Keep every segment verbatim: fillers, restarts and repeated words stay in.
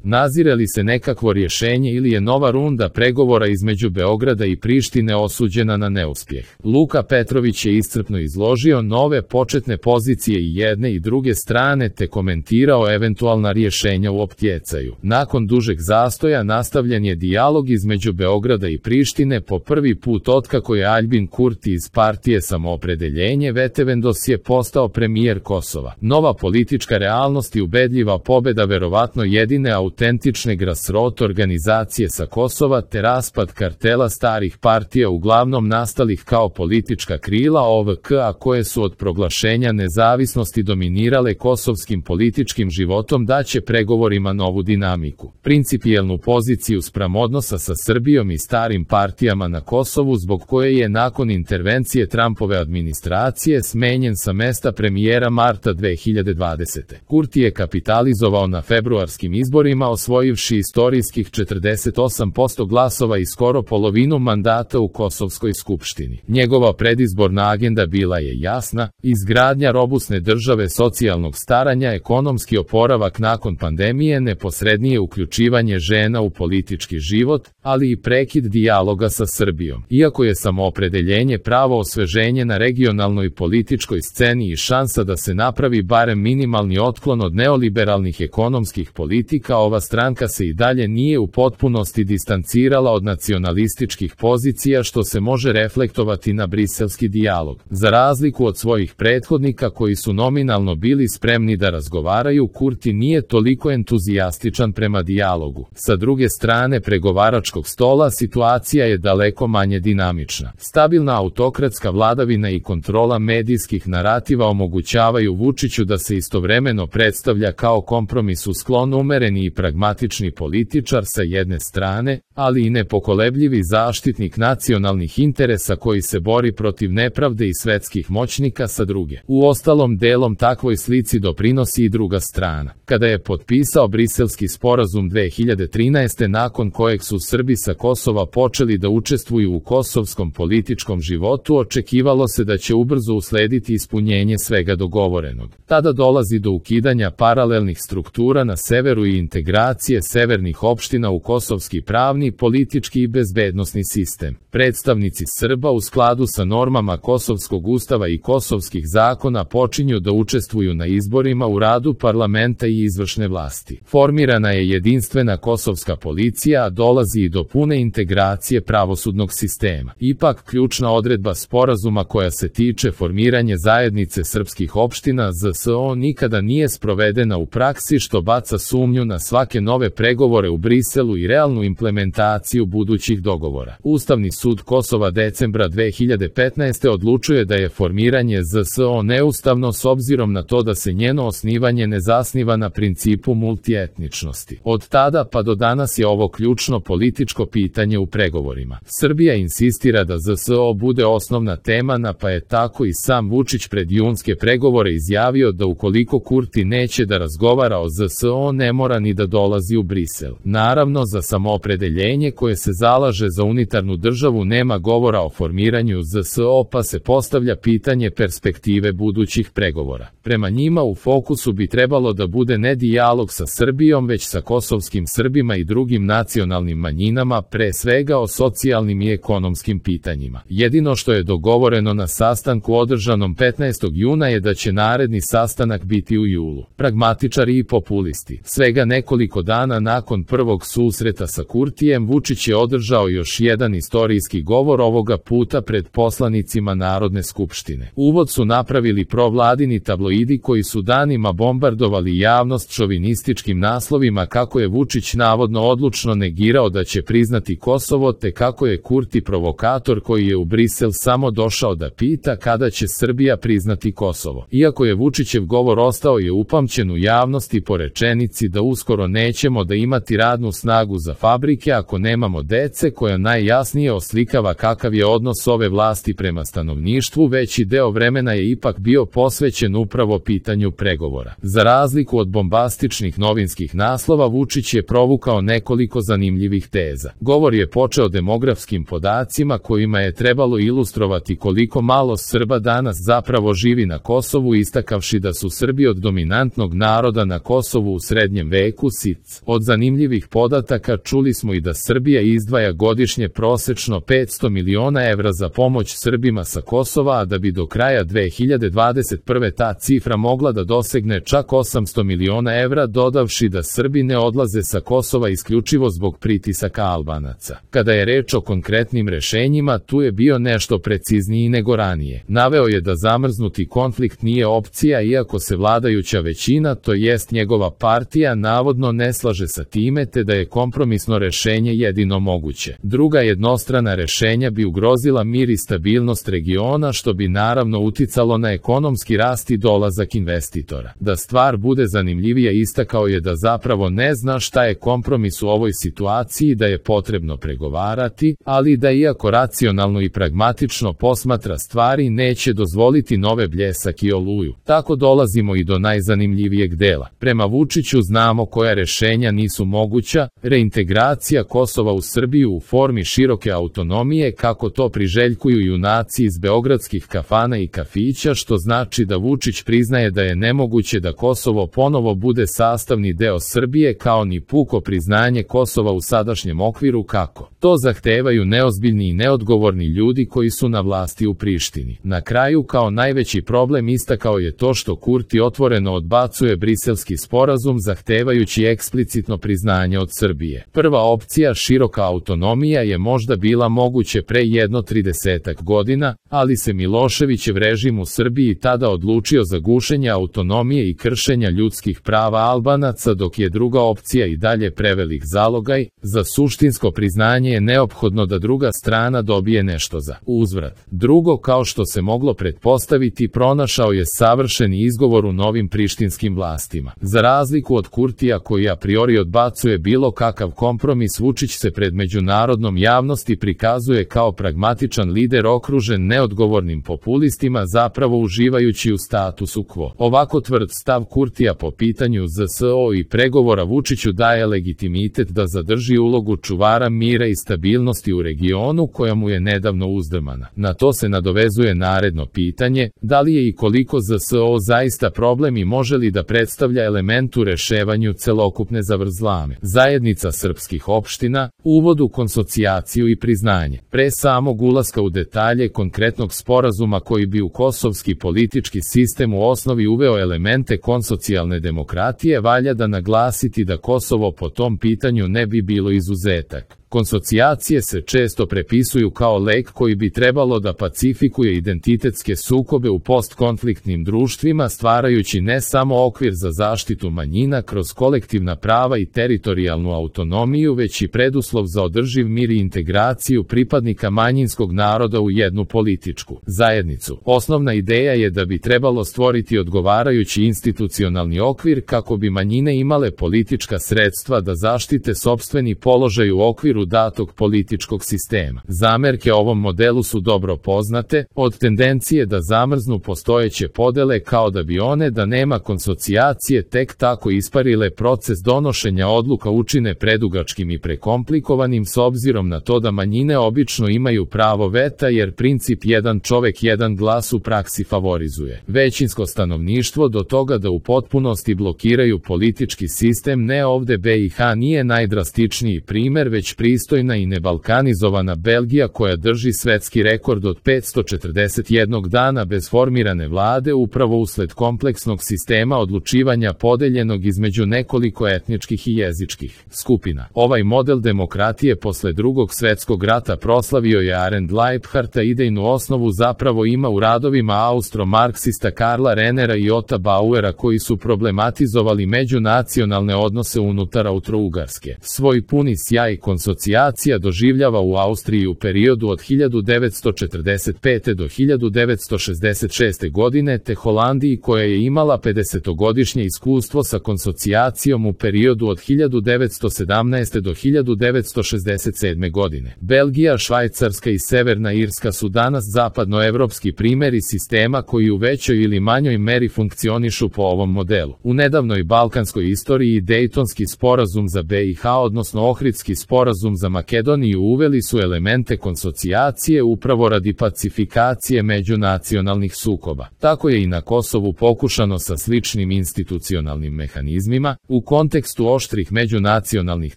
Nazire li se nekakvo rješenje ili je nova runda pregovora između Beograda i Prištine osuđena na neuspjeh? Luka Petrović je iscrpno izložio nove početne pozicije i jedne i druge strane te komentirao eventualna rješenja u optjecaju. Nakon dužeg zastoja nastavljen je dijalog između Beograda i Prištine po prvi put otkako je Aljbin Kurti iz partije Samoopredeljenje Vetevendos je postao premijer Kosova. Nova politička realnost i ubedljiva pobjeda verovatno jedine autentične grassroot organizacije sa Kosova te raspad kartela starih partija uglavnom nastalih kao politička krila O V K a koje su od proglašenja nezavisnosti dominirale kosovskim političkim životom daće pregovorima novu dinamiku. Principijelnu poziciju spram odnosa sa Srbijom i starim partijama na Kosovu zbog koje je nakon intervencije Trumpove administracije smenjen sa mesta premijera marta dve hiljade dvadesete. Kurti je kapitalizovao na februarskim izborima osvojivši istorijskih četrdeset osam posto glasova i skoro polovinu mandata u Kosovskoj skupštini. Njegova predizborna agenda bila je jasna: izgradnja robusne države, socijalnog staranja, ekonomski oporavak nakon pandemije, neposrednije uključivanje žena u politički život, ali i prekid dijaloga sa Srbijom. Iako je Samoopredeljenje pravo osveženje na regionalnoj političkoj sceni i šansa da se napravi barem minimalni otklon od neoliberalnih ekonomskih politika, ova stranka se i dalje nije u potpunosti distancirala od nacionalističkih pozicija što se može reflektovati na briselski dijalog. Za razliku od svojih prethodnika koji su nominalno bili spremni da razgovaraju, Kurti nije toliko entuzijastičan prema dijalogu. Sa druge strane pregovaračkog stola situacija je daleko manje dinamična. Stabilna autokratska vladavina i kontrola medijskih narativa omogućavaju Vučiću da se istovremeno predstavlja kao kompromisu sklon umereni i pragmatični političar sa jedne strane, ali i nepokolebljivi zaštitnik nacionalnih interesa koji se bori protiv nepravde i svetskih moćnika sa druge. Uostalom, delom takvoj slici doprinosi i druga strana. Kada je potpisao Briselski sporazum dve hiljade trinaeste. nakon kojeg su Srbi sa Kosova počeli da učestvuju u kosovskom političkom životu, očekivalo se da će ubrzo uslediti ispunjenje svega dogovorenog. Tada dolazi do ukidanja paralelnih struktura na severu i integracije severnih opština u kosovski pravni, politički i bezbednosni sistem. Predstavnici Srba u skladu sa normama kosovskog ustava i kosovskih zakona počinju da učestvuju na izborima u radu parlamenta i izvršne vlasti. Formirana je jedinstvena kosovska policija, a dolazi i do pune integracije pravosudnog sistema. Ipak, ključna odredba sporazuma koja se tiče formiranje zajednice srpskih opština Z S O nikada nije sprovedena u praksi, što baca sumnju na svake nove pregovore u Briselu i realnu implementaciju budućih dogovora. Ustavni sud Kosova decembra dve hiljade petnaeste. odlučuje da je formiranje Z S O neustavno s obzirom na to da se njeno osnivanje ne zasniva na principu multietničnosti. Od tada pa do danas je ovo ključno političko pitanje u pregovorima. Srbija insistira da Z S O bude osnovna tema na, pa je tako i sam Vučić pred junske pregovore izjavio da ukoliko Kurti neće da razgovara o Z S O, ne mora ni da dolazi u Brisel. Naravno, za Samoopredeljenje koje se zalaže za unitarnu državu nema govora o formiranju Z S O, pa se postavlja pitanje perspektive budućih pregovora. Prema njima u fokusu bi trebalo da bude ne dijalog sa Srbijom, već sa kosovskim Srbima i drugim nacionalnim manjinama, pre svega o socijalnim i ekonomskim pitanjima. Jedino što je dogovoreno na sastanku održanom petnaestog juna je da će naredni sastanak biti u julu. Pragmatičari i populisti. Svega nekoliko dana nakon prvog susreta sa Kurtijem, Vučić je održao još jedan istorijski govor, ovoga puta pred poslanicima Narodne skupštine. Uvod su napravili provladini tabloidi koji su danima bombardovali javnost šovinističkim naslovima kako je Vučić navodno odlučno negirao da će priznati Kosovo, te kako je Kurti provokator koji je u Brisel samo došao da pita kada će Srbija priznati Kosovo. Iako je Vučićev govor ostao je upamćen u javnosti po rečenici da uskoro nećemo da imati radnu snagu za fabrike ako nemamo dece, koja najjasnije oslikava kakav je odnos ove vlasti prema stanovništvu, veći deo vremena je ipak bio posvećen upravo pitanju pregovora. Za razliku od bombastičnih novinskih naslova, Vučić je provukao nekoliko zanimljivih teza. Govor je počeo demografskim podacima kojima je trebalo ilustrovati koliko malo Srba danas zapravo živi na Kosovu, istakavši da su Srbi od dominantnog naroda na Kosovu u srednjem veku S I C. Od zanimljivih podataka čuli smo i da Srbija izdvaja godišnje prosečno petsto miliona evra za pomoć Srbima sa Kosova, a da bi do kraja dve hiljade dvadeset prve ta cifra mogla da dosegne čak osamsto miliona evra, dodavši da Srbi ne odlaze sa Kosova isključivo zbog pritisaka Albanaca. Kada je reč o konkretnim rešenjima, tu je bio nešto precizniji nego ranije. Naveo je da zamrznuti konflikt nije opcija, iako se vladajuća većina, to jest njegova partija, navodno ne slaže sa time, te da je kompromisno rešenje jedino moguće. Druga jednostrana rešenja bi ugrozila mir i stabilnost regiona, što bi naravno uticalo na ekonomski rast i dolazak investitora. Da stvar bude zanimljivija, istakao je da zapravo ne zna šta je kompromis u ovoj situaciji, da je potrebno pregovarati, ali da iako racionalno i pragmatično posmatra stvari, neće dozvoliti nove bljesak i oluju. Tako dolazimo i do najzanimljivijeg dela. Prema Vučiću znamo koja rešenja nisu moguća, reintegracija Kosova u Srbiju u formi široke autonomije, kako to priželjkuju junaci iz beogradskih kafana i kafića, što znači da Vučić priznaje da je nemoguće da Kosovo ponovo bude sastavni deo Srbije, kao ni puko priznanje Kosova u sadašnjem okviru, kako to zahtevaju neozbiljni i neodgovorni ljudi koji su na vlasti u Prištini. Na kraju, kao najveći problem istakao je to što Kurti otvoreno odbacuje Briselski sporazum, zahtevajući eksplicitno priznanje od Srbije. Prva opcija, široka autonomija, je možda bila moguće pre jedno tridesetak godina, ali se Miloševićev režim u Srbiji tada odlučio za gušenje autonomije i kršenja ljudskih prava Albanaca, dok je druga opcija i dalje prevelik zalogaj. Za suštinsko priznanje je neophodno da druga strana dobije nešto za uzvrat. Drugo, kao što se moglo pretpostaviti, pronašao je savršeni izgovor u novim prištinskim vlastima. Za razliku od Kurtija, koji a priori odbacuje bilo kakav kompromis, Vučić se pred međunarodnom javnosti prikazuje kao pragmatičan lider okružen neodgovornim populistima, zapravo uživajući u statusu quo. Ovako tvrd stav Kurtija po pitanju Z S O i pregovora Vučiću daje legitimitet da zadrži ulogu čuvara mira i stabilnosti u regionu, koja mu je nedavno uzdrmana. Na to se nadovezuje naredno pitanje, da li je i koliko Z S O zaista problem i može li da predstavlja element u reševanju celokupne zavrzlame. Zajednica srpskih opština, uvod u konsocijaciju i priznanje. Pre samog ulaska u detalje konkretnog sporazuma koji bi u kosovski politički sistem u osnovi uveo elemente konsocijalne demokratije, valja da naglasiti da Kosovo po tom pitanju ne bi bilo izuzetak. Konsocijacije se često prepisuju kao lek koji bi trebalo da pacifikuje identitetske sukobe u postkonfliktnim društvima, stvarajući ne samo okvir za zaštitu manjina kroz kolektivna prava i teritorijalnu autonomiju, već i preduslov za održiv mir i integraciju pripadnika manjinskog naroda u jednu političku zajednicu. Osnovna ideja je da bi trebalo stvoriti odgovarajući institucionalni okvir kako bi manjine imale politička sredstva da zaštite sopstveni položaj u okviru datog političkog sistema. Zamerke ovom modelu su dobro poznate, od tendencije da zamrznu postojeće podele kao da bi one da nema konsocijacije tek tako isparile proces donošenja odluka učine predugačkim i prekomplikovanim, s obzirom na to da manjine obično imaju pravo veta, jer princip jedan čovek jedan glas u praksi favorizuje većinsko stanovništvo do toga da u potpunosti blokiraju politički sistem. Ne, ovde B i H nije najdrastičniji primer, već pristojna i nebalkanizovana Belgija, koja drži svetski rekord od petsto četrdeset jednog dana bez formirane vlade, upravo usled kompleksnog sistema odlučivanja podeljenog između nekoliko etničkih i jezičkih skupina. Ovaj model demokratije posle Drugog svetskog rata proslavio je Arend Leibhardt, a idejnu osnovu zapravo ima u radovima austro-marksista Karla Renera i Ota Bauera, koji su problematizovali međunacionalne odnose unutar Austro-Ugarske. Svoj puni sjaj konsocijacija doživljava u Austriji u periodu od hiljadu devetsto četrdeset pete do hiljadu devetsto šezdeset šeste godine, te Holandiji, koja je imala pedesetogodišnje iskustvo sa konsocijacijom u periodu od hiljadu devetsto sedamnaeste do hiljadu devetsto šezdeset sedme godine. Belgija, Švajcarska i Severna Irska su danas zapadnoevropski primeri sistema koji u većoj ili manjoj meri funkcionišu po ovom modelu. U nedavnoj balkanskoj istoriji Dejtonski sporazum za B i H, odnosno Ohridski sporazum sporazum za Makedoniju uveli su elemente konsocijacije upravo radi pacifikacije međunacionalnih sukoba. Tako je i na Kosovu pokušano sa sličnim institucionalnim mehanizmima, u kontekstu oštrih međunacionalnih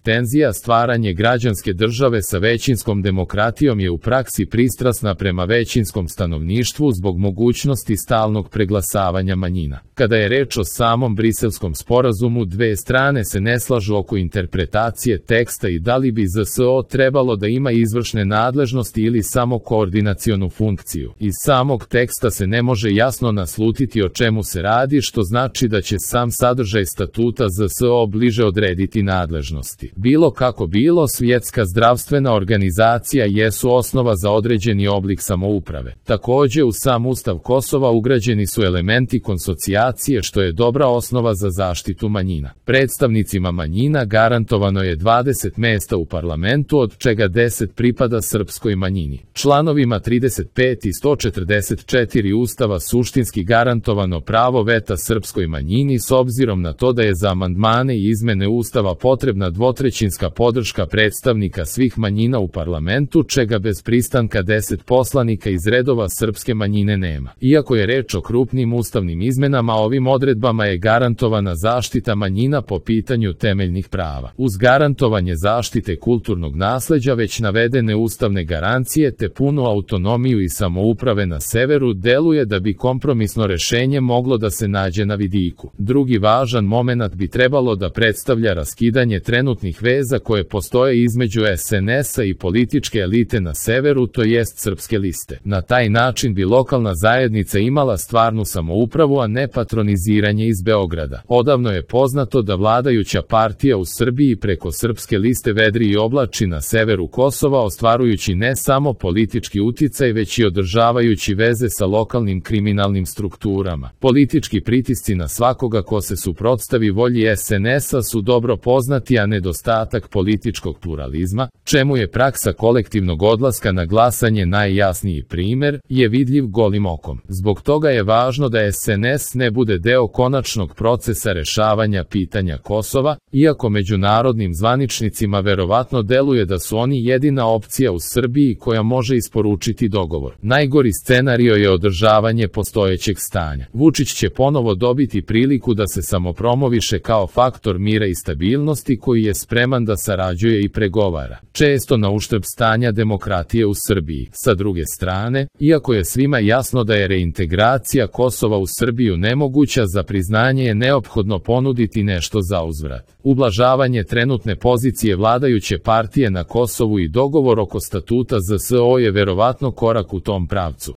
tenzija stvaranje građanske države sa većinskom demokratijom je u praksi pristrasna prema većinskom stanovništvu zbog mogućnosti stalnog preglasavanja manjina. Kada je reč o samom Briselskom sporazumu, dve strane se ne slažu oko interpretacije teksta i da li bi Z S O trebalo da ima izvršne nadležnosti ili samo koordinacionu funkciju. Iz samog teksta se ne može jasno naslutiti o čemu se radi, što znači da će sam sadržaj statuta Z S O bliže odrediti nadležnosti. Bilo kako bilo, Svjetska zdravstvena organizacija jesu osnova za određeni oblik samouprave. Takođe, u sam Ustav Kosova ugrađeni su elementi konsocijacije, što je dobra osnova za zaštitu manjina. Predstavnicima manjina garantovano je dvadeset mesta u parlamentu, od čega deset pripada srpskoj manjini. Članovima trideset pet i sto četrdeset četiri Ustava suštinski garantovano pravo veta srpskoj manjini s obzirom na to da je za amandmane i izmene Ustava potrebna dvotrećinska podrška predstavnika svih manjina u parlamentu, čega bez pristanka deset poslanika iz redova srpske manjine nema. Iako je reč o krupnim ustavnim izmenama, ovim odredbama je garantovana zaštita manjina po pitanju temeljnih prava. Uz garantovanje zaštite kulturnog nasleđa već navedene ustavne garancije te punu autonomiju i samouprave na severu deluje da bi kompromisno rešenje moglo da se nađe na vidiku. Drugi važan momenat bi trebalo da predstavlja raskidanje trenutnih veza koje postoje između S N S-a i političke elite na severu, to jest Srpske liste. Na taj način bi lokalna zajednica imala stvarnu samoupravu, a ne patroniziranje iz Beograda. Odavno je poznato da vladajuća partija u Srbiji preko Srpske liste vedri i oblači na severu Kosova, ostvarujući ne samo politički uticaj, već i održavajući veze sa lokalnim kriminalnim strukturama. Politički pritisci na svakoga ko se suprotstavi volji S N S-a su dobro poznati, a nedostatak političkog pluralizma, čemu je praksa kolektivnog odlaska na glasanje najjasniji primer, je vidljiv golim okom. Zbog toga je važno da S N S ne bude deo konačnog procesa rešavanja pitanja Kosova, iako međunarodnim zvaničnicima verovatno deluje da su oni jedina opcija u Srbiji koja može isporučiti dogovor. Najgori scenario je održavanje postojećeg stanja. Vučić će ponovo dobiti priliku da se samopromoviše kao faktor mira i stabilnosti koji je spreman da sarađuje i pregovara, često na uštrb stanja demokratije u Srbiji. Sa druge strane, iako je svima jasno da je reintegracija Kosova u Srbiju nemoguća, za priznanje je neophodno ponuditi nešto za uzvrat. Ublažavanje trenutne pozicije vladajuće partije na Kosovu i dogovor oko statuta Z S O je verovatno korak u tom pravcu.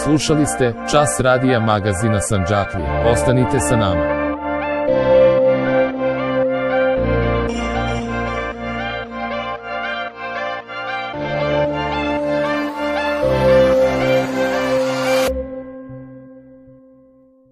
Slušali ste Čas radija magazina Sandžaklija. Ostanite sa nama.